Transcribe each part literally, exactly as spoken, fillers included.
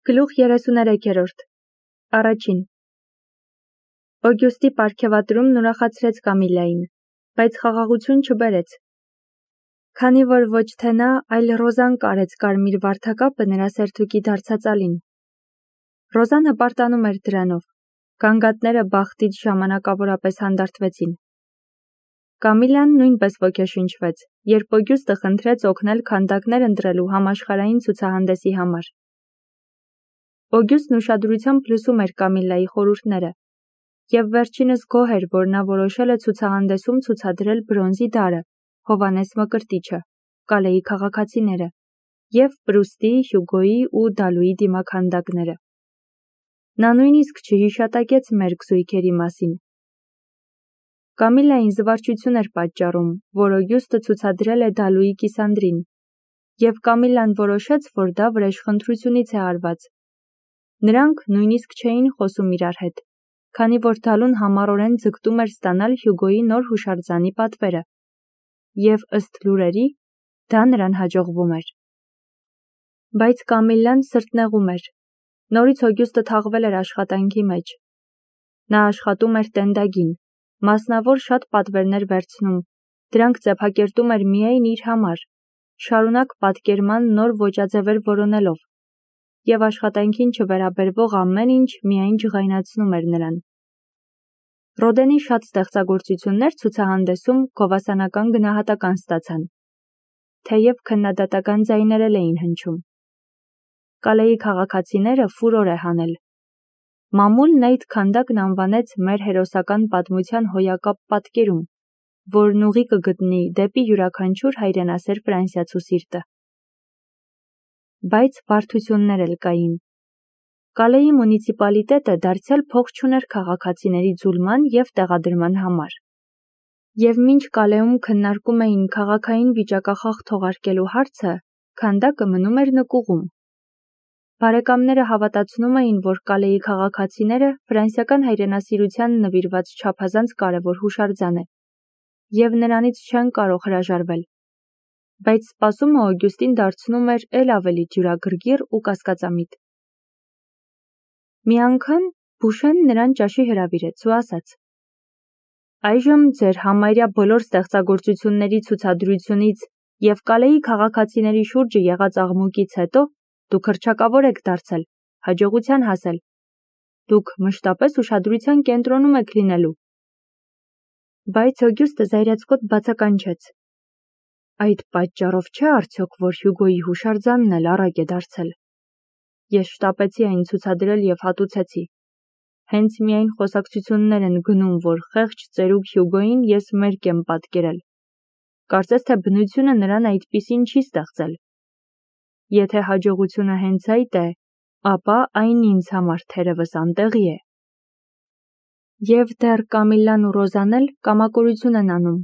Գլուխ երեսուներեքերորդ Առաջին Օգյուստի պարգևատրումն ուրախացրեց Կամիլային, բայց խաղաղություն չբերեց։ Քանի որ ոչ թե նա, այլ Ռոզան կարեց կարմիր վարդակապը նրա սերթուկի դարձածալին։ Ռոզան հպարտանում էր դրանով, գանգատները բախտից ժամանակավորապես հանդարտվեցին։ Կամիլան նույնպես ոգեշնչվեց, երբ Օգյուստը խնդրեց օգնել քանդակներ ընտրելու համաշխարհային ցուցահանդեսի համար։ Օգյուստն ուշադրությամբ լսում էր Կամիլայի խորհուրդները, և վերջինս գոհ էր, որ նա որոշել է ցուցահանդեսում ցուցադրել բրոնզի դարը, Հովհաննես Մկրտիչը, Կալեի քաղաքացիները և Պրուստի, Հյուգոյի ու Դալուի դիմաքանդակները։ Նա նույնիսկ չհիշատակեց մերկ զույգերի մասին։ Կամիլային զվարճություն էր պատճառում, որ Օգյուստը ցուցադրել է Դալուի կիսանդրին, և Կամիլան որոշեց, որ դա վրեժխնդրությունից է արված։ Նրանք նույնիսկ չէին խոսում իրար հետ, քանի որ Դալուն համառորեն ձգտում էր ստանալ Հյուգոյի նոր հուշարձանի պատվերը, և ըստ լուրերի, դա նրան հաջողվում էր։ Բայց Կամիլան սրտնեղում էր։ Նորից Օգյուստը թաղվել էր աշխատանքի մեջ։ Նա աշխատում էր տենդագին, մասնավոր շատ պատվերներ վերցնում, դրանք ձեփակերտում էր միայն իր համար, շարունակ պատկերման նոր ոճաձևեր որոնելով, և աշխատանքին չվերաբերվող ամեն ինչ միայն ջղայնացնում էր նրան։ Ռոդենի շատ ստեղծագործություններ ցուցահանդեսում գովասանական գնահատական ստացան, թեև քննադատական ձայներ էլ էին հնչում։ Կալեի քաղաքացիները ֆուրոր է հանել։ Մամուլն այդ քանդակն անվանեց մեր հերոսական պատմության հոյակապ պատկերում, որն ուղի կգտնի դեպի յուրաքանչյուր հայրենասեր ֆրանսիացու սիրտը։ Բայց բարդություններ էլ կային։ Կալեի մունիցիպալիտետը դարձյալ փող չուներ քաղաքացիների ձուլման և տեղադրման համար։ Եվ մինչ Կալեում քննարկում էին քաղաքային վիճակախախ թողարկելու հարցը, քանդակը մնում էր նկուղում։ Բարեկամները հավատացնում էին, որ Կալեի քաղաքացիները ֆրանսիական հայրենասիրության նվիրված չափազանց կարևոր հուշարձան է, և նրանից չեն կարող հրաժարվել։ Բայց սպասումը Օգյուստին դարձնում էր էլ ավելի ջրագրգիռ ու կասկածամիտ։ Մի անգամ Բուշեն նրան ճաշի հրավիրեց ու ասաց. «Այժմ ձեր համարյա բոլոր ստեղծագործությունների ցուցադրությունից և Կալեի քաղաքացիների շուրջը եղած աղմուկից հետո դուք հռչակավոր եք դարձել, հաջողության հասել։ Դուք մշտապես ուշադրության կենտրոնում եք լինելու»։ Բայց Օգյուստը զայրացկոտ բացականչեց. «Այդ պատճառով չէ արդյոք, որ Հյուգոյի հուշարձանն էլ առակ է դարձել։ Ես շտապեցի այն ցուցադրել և հատուցեցի։ Հենց միայն խոսակցություններ են գնում, որ խեղճ ծերուկ Հյուգոյին ես մերկ եմ պատկերել։ Կարծես թե բնությունը նրան այդպիսին չի ստեղծել։ Եթե հաջողությունը հենց այդ է, ապա այն ինձ համար թերևս անտեղի է»։ Եվ դեռ Կամիլան ու Ռոզան էլ կամակորություն են անում։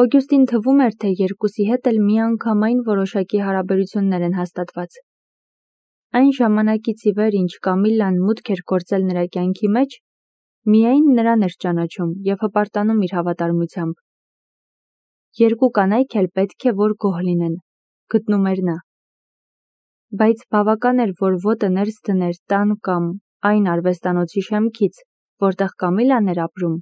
Օգյուստին թվում էր, թե երկուսի հետ էլ միանգամայն որոշակի հարաբերություններ են հաստատված։ Այն ժամանակից ի վեր, ինչ Կամիլան մուտք էր գործել նրա կյանքի մեջ, միայն նրան էր ճանաչում և հպարտանում իր հավատարմությամբ։ Երկու կանայք էլ պետք է որ գոհ լինեն, գտնում էր նա։ Բայց բավական էր, որ ոտը ներս դներ տան կամ այն արվեստանոցի շեմքից, որտեղ Կամիլան էր ապրում,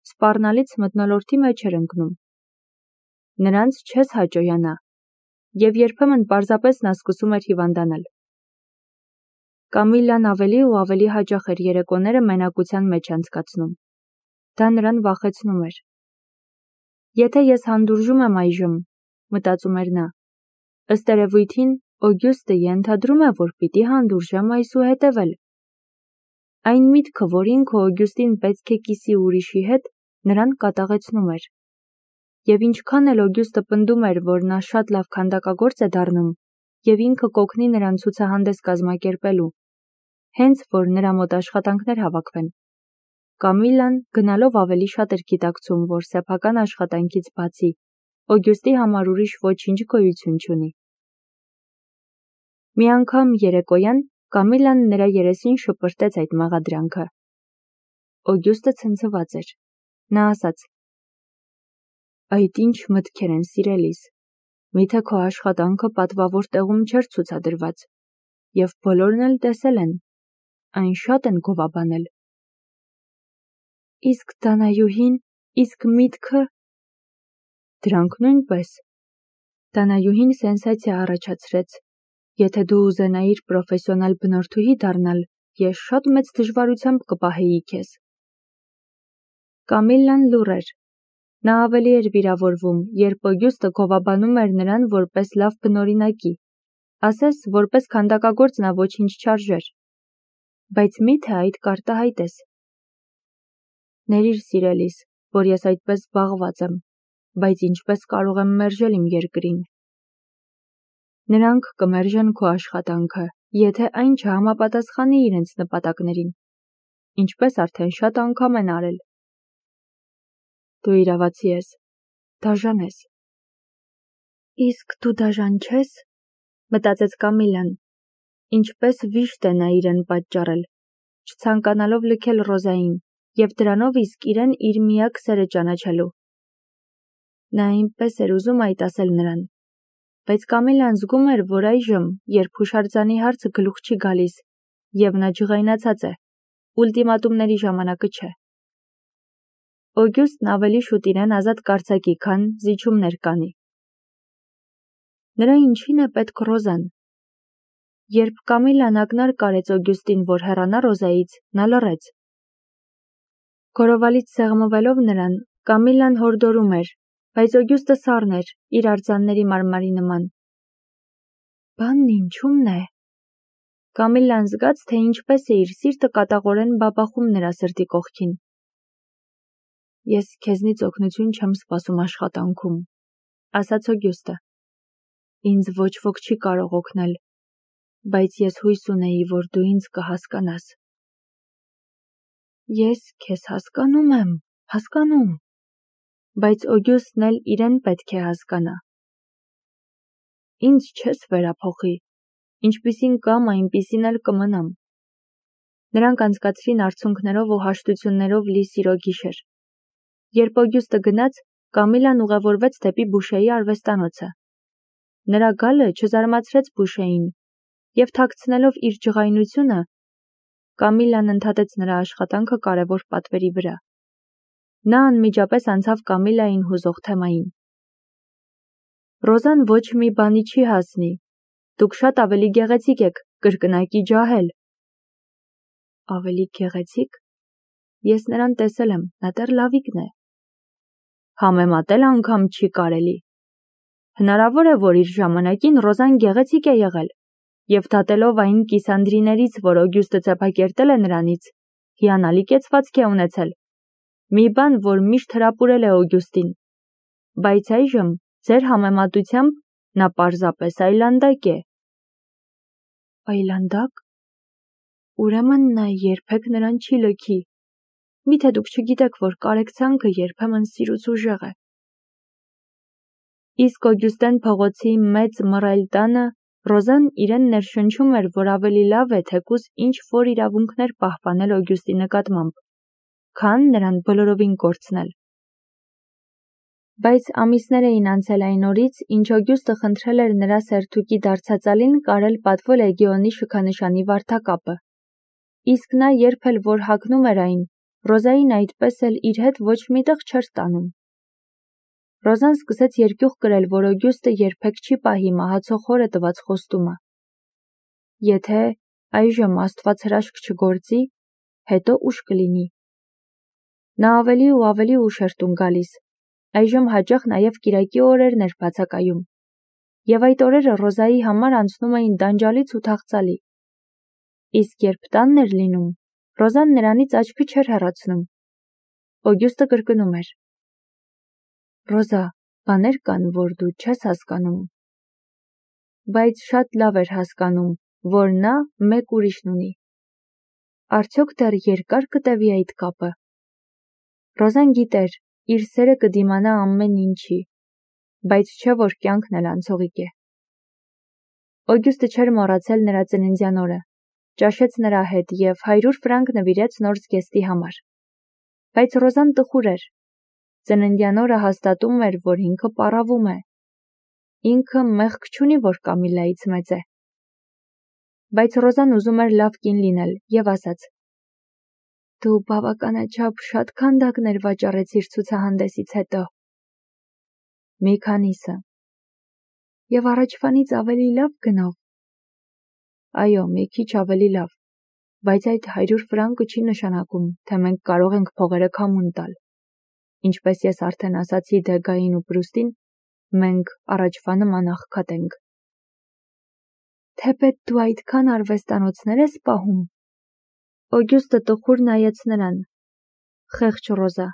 սպառնալից մթնոլորտի մեջ էր ընկնում։ Նրանց չես հաճոյանա, և երբեմն պարզապես նա սկսում էր հիվանդանալ։ Կամիլան ավելի ու ավելի հաճախ էր երեկոները մենակության մեջ անցկացնում։ Դա նրան վախեցնում էր։ «Եթե ես հանդուրժում եմ այժմ», մտածում էր նա, ըստ երևույթին Օգյուստը ենթադրում է, որ պիտի հանդուրժեմ այսուհետև էլ։ Այն միտքը, որ ինքը Օգյուստին պետք է կիսի ուրիշի հետ, նրան կատաղեցնում էր։ Եվ ինչքան էլ Օգյուստը պնդում էր, որ նա շատ լավ քանդակագործ է դառնում, և ինքը կօգնի նրան ցուցահանդես կազմակերպելու, հենց որ նրա մոտ աշխատանքներ հավաքվեն, Կամիլան գնալով ավելի շատ էր գիտակցում, որ սեփական աշխատանքից բացի Օգյուստի համար ուրիշ ոչինչ գոյություն չունի։ Մի անգամ երեկոյան Կամիլան նրա երեսին շպրտեց այդ մեղադրանքը։ Օգյուստը ցնցված էր։ Նա ասաց. «Այդ ինչ մտքեր են, սիրելիս, միթե քո աշխատանքը պատվավոր տեղում չէր ցուցադրված։ և բոլորն էլ տեսել են, այն շատ են գովաբանել։ Իսկ Դանայուհին, իսկ միտքը… Դրանք նույնպես։ Դանայուհին սենսացիա առաջացրեց. եթե դու ուզենայիր պրոֆեսիոնալ բնորդուհի դառնալ, ես շատ մեծ դժվարությամբ կպահեի քեզ։ Կամիլլան լուռ էր։ Նա ավելի էր վիրավորվում, երբ Օգյուստը գովաբանում էր նրան որպես լավ բնօրինակի, ասես որպես քանդակագործ նա ոչինչ չարժեր։ Բայց մի՞թե այդ կարտահայտ ես։ Ներիր սիրելիս, որ ես այդպես զբաղված եմ, բայց ինչպես կարող եմ մերժել իմ երկրին։ Նրանք կմերժեն քո աշխատանքը, եթե այն չհամապատասխանի իրենց նպատակներին, ինչպես արդեն շատ անգամ են արել։ Դու իրավացի ես, դաժան ես։ Իսկ դու դաժան չես, մտածեց Կամիլլան, ինչպես վիշտ է նա իրեն պատճառել, չցանկանալով լքել Ռոզային և դրանով իսկ իրեն իր միակ սերը ճանաչելու։ Նա այնպես էր ուզում այդ ասել նրան, բայց Կամիլլան զգում էր, որ այժմ, երբ հուշարձանի հարցը գլուխ չի գալիս, և նա ջղայնացած է, ուլտիմատումների ժամանակը չէ։ Օգյուստն ավելի շուտ իրեն ազատ կարձակի, քան զիջումներ կանի։ Նրա ինչին է պետք Ռոզան։ Երբ Կամիլլան ակնարկ արեց Օգյուստին, որ հեռանա Ռոզայից, նա լռեց։ Գորովալից սեղմվելով նրան, Կամիլլան հորդորում էր, բայց Օգյուստը սառն էր, իր արձանների մարմարի նման։ Բանն ինչու՞մն է։ Կամիլլան զգաց, թե ինչպես է իր սիրտը կատաղորեն բաբախում նրա սրտի կողքին։ Ես քեզնից օգնություն չեմ սպասում աշխատանքում, ասաց Օգյուստը։ Ինձ ոչ ոք չի կարող օգնել, բայց ես հույս ունեի, որ դու ինձ կհասկանաս։ Ես քեզ հասկանում եմ, հասկանում, բայց Օգյուստն էլ իրեն պետք է հասկանա։ Ինձ չես վերափոխի, ինչպիսին կամ այնպիսին էլ կմնամ։ Նրանք անցկացրին արցունքներով ու հաշտություններով լի սիրո գիշեր։ Երբ Օգյուստը գնաց, Կամիլլան ուղևորվեց դեպի Բուշեի արվեստանոցը։ Նրա գալը չզարմացրեց Բուշեին, և թաքցնելով իր ջղայնությունը, Կամիլլան ընդհատեց նրա աշխատանքը կարևոր պատվերի վրա։ Նա անմիջապես անցավ Կամիլլային հուզող թեմային։ Ռոզան ոչ մի բանի չի հասնի։ Դուք շատ ավելի գեղեցիկ եք, կրկնակի ջահել։ Ավելի գեղեցիկ։ Ես նրան տեսել եմ, նա դեռ լավիկն է։ Համեմատել անգամ չի կարելի։ Հնարավոր է, որ իր ժամանակին Ռոզան գեղեցիկ է եղել, և դատելով այն կիսանդրիներից, որ Օգյուստը ծեփակերտել է նրանից, հիանալի կեցվածք է ունեցել։ Մի բան, որ միշտ հրապուրել է Օգյուստին։ Բայց այժմ, ձեր համեմատությամբ, նա պարզապես այլանդակ է։ Այլանդակ։ Ուրեմն նա երբեք նրան չի լքի։ Միթե դուք չգիտեք, որ կարեկցանքը երբեմն սիրուց ուժեղ է։ Իսկ Օգյուստեն փողոցի մեծ մռայլ տանը Ռոզան իրեն ներշնչում էր, որ ավելի լավ է թեկուզ ինչ-որ իրավունքներ պահպանել Օգյուստի նկատմամբ, քան նրան բոլորովին կորցնել։ Բայց ամիսներ էին անցել այն օրից, ինչ Օգյուստը խնդրել էր նրա սերթուկի դարձածալին կարել պատվո լեգիոնի շքանշանի վարդակապը։ Իսկ նա երբ էլ որ հագնում էր այն, Ռոզային այդպես էլ իր հետ ոչ միտեղ չէր տանում։ Ռոզան սկսեց երկյուղ կրել, որ Օգյուստը երբեք չի պահի մահացող հորը տված խոստումը։ Եթե այժմ Աստված հրաշք չգործի, հետո ուշ կլինի։ Նա ավելի ու ավելի ուշ էր տուն գալիս, այժմ հաճախ նաև կիրակի օրերն էր բացակայում, և այդ օրերը Ռոզայի համար անցնում էին դանջալից ու թախծալի։ Իսկ երբ տանն էր լինում, Ռոզան նրանից աչքը չէր հեռացնում։ Օգյուստը կրկնում էր. Ռոզա, բաներ կան, որ դու չես հասկանում։ Բայց շատ լավ էր հասկանում, որ նա մեկ ուրիշն ունի։ Արդյոք դեռ երկար կտևի այդ կապը։ Ռոզան գիտեր, իր սերը կդիմանա ամեն ինչի, բայց չէ որ կյանքն էլ անցողիկ է։ Օգյուստը չէր մոռացել նրա ծննդյան օրը, ճաշեց նրա հետ և հարյուր ֆրանկ նվիրեց նոր զգեստի համար։ Բայց Ռոզան տխուր էր։ Ծննդյան օրը հաստատում էր, որ ինքը պառավում է։ Ինքը մեղք չունի, որ Կամիլլայից մեծ է։ Բայց Ռոզան ուզում էր լավ կին լինել և ասաց. Դու բավականաչափ շատ քանդակներ վաճառեցիր ցուցահանդեսից հետո։ Մի քանիսը։ Եվ առաջվանից ավելի լավ գնով։ Այո, մի քիչ ավելի լավ, բայց այդ հարյուր ֆրանկը չի նշանակում, թե մենք կարող ենք փողերը քամուն տալ։ Ինչպես ես արդեն ասացի Դեգային ու Պրուստին, մենք առաջվա նման աղքատ ենք։ Թեպետ դու այդքան արվեստանոցներ ես պահում։ Օգյուստը տխուր նայեց նրան։ Խեղճ Ռոզա,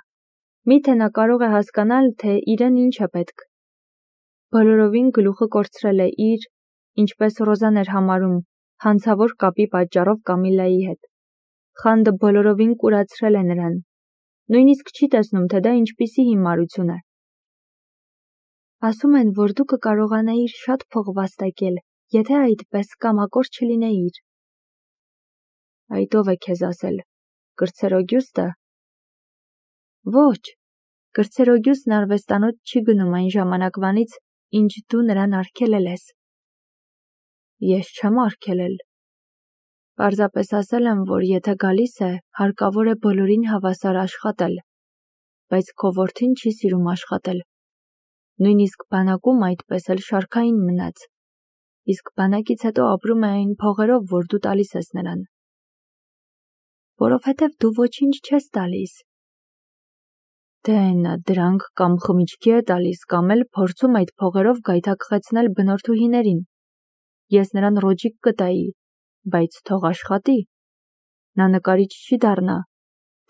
միթե նա կարող է հասկանալ, թե իրեն ինչ է պետք։ Բոլորովին գլուխը կորցրել է իր, ինչպես Ռոզան էր համարում, հանցավոր կապի պատճառով Կամիլլայի հետ։ Խանդը բոլորովին կուրացրել է նրան։ Նույնիսկ չի տեսնում, թե դա ինչպիսի հիմարություն է։ Ասում են, որ դու կկարողանայիր շատ փող վաստակել, եթե այդպես կամակոր չլինեիր։ Այդ ով է քեզ ասել, կրտսեր Օգյուստը։ Ոչ, կրտսեր Օգյուստն արվեստանոց չի գնում այն ժամանակվանից, ինչ դու նրան արգելել ես։ Ես չեմ արգելել։ Պարզապես ասել եմ, որ եթե գալիս է, հարկավոր է բոլորին հավասար աշխատել, բայց քո որդին չի սիրում աշխատել։ Նույնիսկ բանակում այդպես էլ շարքային մնաց, իսկ բանակից հետո ապրում է այն փողերով, որ դու տալիս ես նրան։ Որովհետև դու ոչինչ չես տալիս։ Դե նա դրանք կամ խմիչքի է տալիս, կամ էլ փորձում այդ փողերով գայթակղեցնել բնորդուհիներին։ Ես նրան ռոճիկ կտայի, բայց թող աշխատի։ Նա նկարիչ չի դառնա,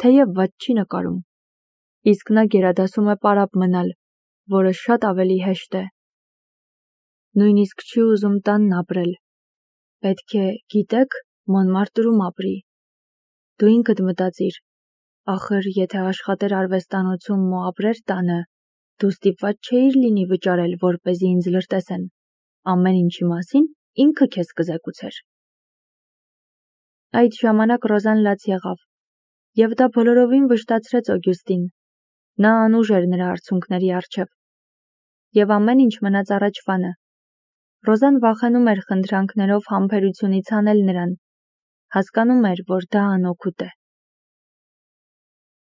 թեև վատ չի նկարում։ Իսկ նա գերադասում է պարապ մնալ, որը շատ ավելի հեշտ է։ Նույնիսկ չի ուզում տանն ապրել։ Պետք է, գիտեք, Մոնմարտրում ապրի։ Դու ինքդ մտածիր, ախր եթե աշխատեր արվեստանոցում ու ապրեր տանը, դու ստիպված չէիր լինի վճարել, որպեսզի ինձ լրտեսեն։ Ամեն ինչի մասին ինքը քեզ կզեկուցեր։ Այդ ժամանակ Ռոզան լաց եղավ, և դա բոլորովին վշտացրեց Օգյուստին։ Նա անուժ էր նրա արցունքների առջև։ Եվ ամեն ինչ մնաց առաջվանը։ Ռոզան վախենում էր խնդրանքներով համբերությունից հանել նրան։ Հասկանում էր, որ դա անօգուտ է։